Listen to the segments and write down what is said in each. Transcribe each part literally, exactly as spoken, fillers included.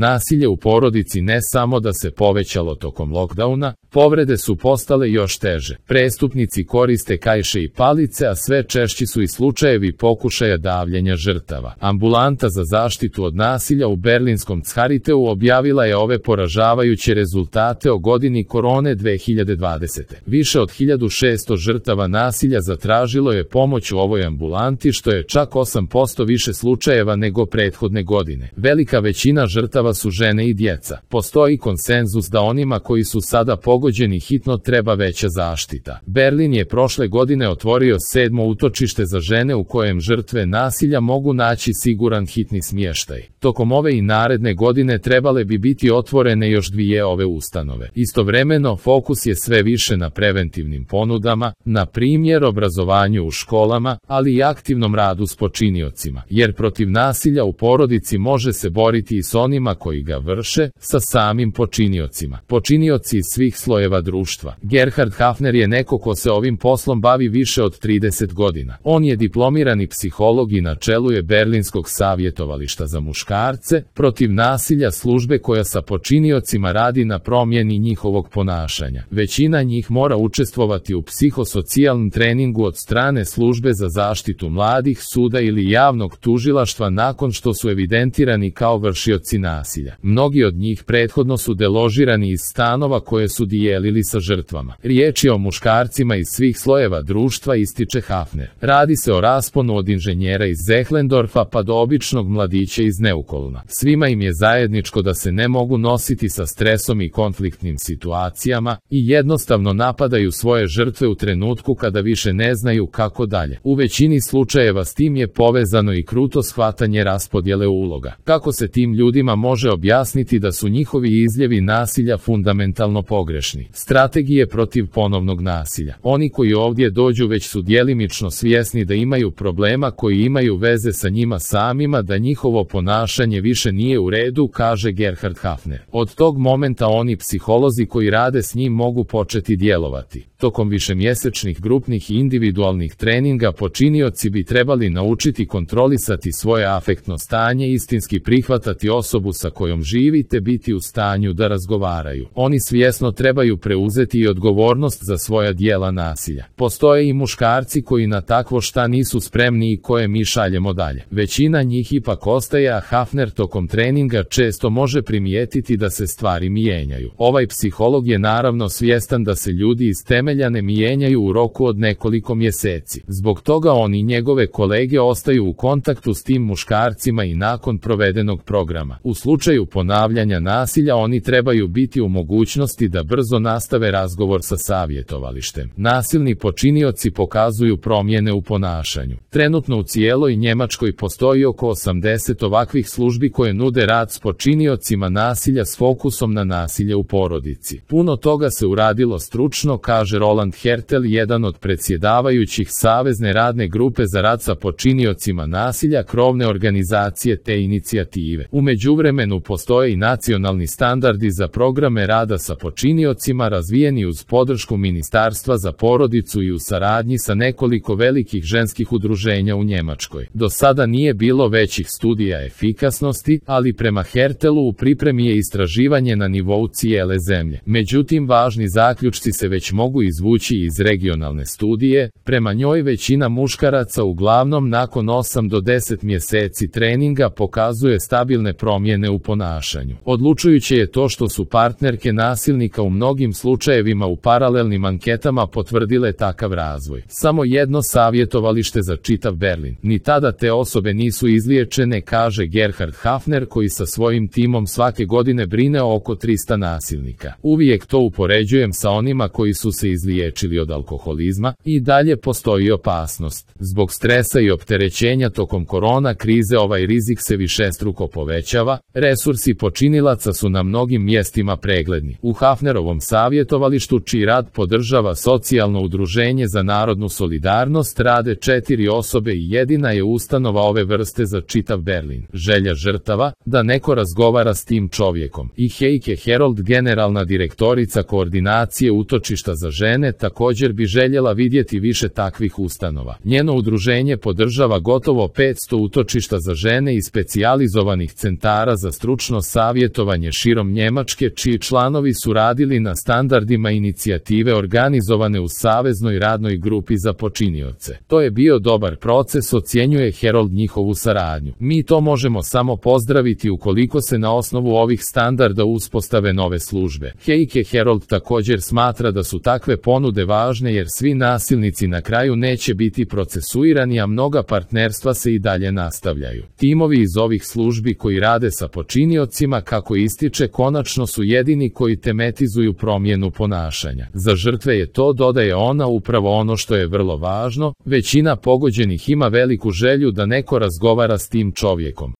Nasilje u porodici ne samo da se povećalo tokom lockdowna, povrede su postale još teže. Prestupnici koriste kaiše i palice, a sve češći su i slučajevi pokušaja davljenja žrtava. Ambulanta za zaštitu od nasilja u berlinskom Charitaeu objavila je ove poražavajuće rezultate o godini korone dve hiljade dvadesete. Više od hiljadu šesto žrtava nasilja zatražilo je pomoć u ovoj ambulanti, što je čak osam posto više slučajeva nego prethodne godine. Velika većina žrtava su žene i djeca. Postoji konsenzus da onima koji su sada pogođeni hitno treba veća zaštita. Berlin je prošle godine otvorio sedmo utočište za žene u kojem žrtve nasilja mogu naći siguran hitni smještaj. Tokom ove i naredne godine trebale bi biti otvorene još dvije ove ustanove. Istovremeno, fokus je sve više na preventivnim ponudama, na primjer obrazovanju u školama, ali i aktivnom radu s počiniocima, jer protiv nasilja u porodici može se boriti i s onima koji ga vrše, sa samim počiniocima. Počinioci iz svih slojeva društva. Gerhard Hafner je neko ko se ovim poslom bavi više od trideset godina. On je diplomirani psiholog i na čelu je Berlinskog savjetovališta za muškarce protiv nasilja, službe koja sa počiniocima radi na promjeni njihovog ponašanja. Većina njih mora učestvovati u psihosocijalnom treningu od strane službe za zaštitu mladih, suda ili javnog tužilaštva nakon što su evidentirani kao vršioci nasilja. Mnogi od njih prethodno su deložirani iz stanova koje su dijelili sa žrtvama. Riječ je o muškarcima iz svih slojeva društva, ističe Hafner. Radi se o rasponu od inženjera iz Zehlendorfa pa do običnog mladića iz Neukolna. Svima im je zajedničko da se ne mogu nositi sa stresom i konfliktnim situacijama i jednostavno napadaju svoje žrtve u trenutku kada više ne znaju kako dalje. U većini slučajeva s tim je povezano i kruto shvatanje raspodjele uloga. Kako se tim ljudima može objasniti da su njihovi izljevi nasilja fundamentalno pogrešni? Strategije protiv ponovnog nasilja. Oni koji ovdje dođu već su djelimično svjesni da imaju problema koji imaju veze sa njima samima, da njihovo ponašanje više nije u redu, kaže Gerhard Hafner. Od tog momenta oni psiholozi koji rade s njim mogu početi djelovati. Tokom višemjesečnih grupnih i individualnih treninga počinioci bi trebali naučiti kontrolisati svoje afektno stanje, istinski prihvatati osobu sa kojom živite, biti u stanju da razgovaraju. Oni svjesno trebaju preuzeti i odgovornost za svoja djela nasilja. Postoje i muškarci koji na takvo šta nisu spremni i koje mi šaljemo dalje. Većina njih ipak ostaje, a Hafner tokom treninga često može primijetiti da se stvari mijenjaju. Ovaj psiholog je naravno svjestan da se ljudi iz temelja ne mijenjaju u roku od nekoliko mjeseci. Zbog toga on i njegove kolege ostaju u kontaktu s tim muškarcima i nakon provedenog programa. U slučaju ponavljanja nasilja oni trebaju biti u mogućnosti da brzo nastave razgovor sa savjetovalištem. Nasilni počinioci pokazuju promjene u ponašanju. Trenutno u cijeloj Njemačkoj postoji oko osamdeset ovakvih službi koje nude rad s počiniocima nasilja s fokusom na nasilje u porodici. Puno toga se uradilo stručno, kaže Roland Hertel, jedan od predsjedavajućih Savezne radne grupe za rad sa počiniocima nasilja, krovne organizacije te inicijative. U međuvremenu postoje i nacionalni standardi za programe rada sa počiniocima razvijeni uz podršku Ministarstva za porodicu i u saradnji sa nekoliko velikih ženskih udruženja u Njemačkoj. Do sada nije bilo većih studija efikasnosti, ali prema Hertelu u pripremi je istraživanje na nivou cijele zemlje. Međutim, važni zaključci se već mogu izvući iz regionalne studije. Prema njoj većina muškaraca uglavnom nakon osam do deset mjeseci treninga pokazuje stabilne promjene u ponašanju. Odlučujuće je to što su partnerke nasilnika u mnogim slučajevima u paralelnim anketama potvrdile takav razvoj. Samo jedno savjetovalište za čitav Berlin. Ni tada te osobe nisu izliječene, kaže Gerhard Hafner, koji sa svojim timom svake godine brine o oko trista nasilnika. Uvijek to upoređujem sa onima koji su se izliječili od alkoholizma. I dalje postoji opasnost. Zbog stresa i opterećenja tokom korona krize ovaj rizik se višestruko povećava. Resursi počinilaca su na mnogim mjestima pregledni. U Hafnerovom savjetovalištu, čiji rad podržava socijalno udruženje za narodnu solidarnost, rade četiri osobe i jedina je ustanova ove vrste za čitav Berlin. želja žrtava, da neko razgovara s tim čovjekom. I Heike Herold, generalna direktorica koordinacije utočišta za žene, također bi željela vidjeti više takvih ustanova. Njeno udruženje podržava gotovo petsto utočišta za žene i specijalizovanih centara za stručno savjetovanje širom Njemačke, čiji članovi su radili na standardima inicijative organizovane u Saveznoj radnoj grupi za počinioce. To je bio dobar proces, ocjenjuje Herold njihovu saradnju. Mi to možemo samo pozdraviti ukoliko se na osnovu ovih standarda uspostave nove službe. Heike Herold također smatra da su takve ponude važne jer svi nasilnici na kraju neće biti procesuirani, a mnoga partnerstva se i dalje nastavljaju. Timovi iz ovih službi koji rade sa počiniocima, kako ističe, konačno su jedini koji tematizuju promjenu ponašanja. Za žrtve je to, dodaje ona, upravo ono što je vrlo važno. Većina pogođenih ima veliku želju da neko razgovara s tim čovjekom.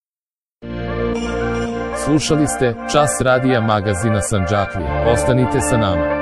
Slušali ste Čas radija magazina Sandžaklija. Ostanite sa nama.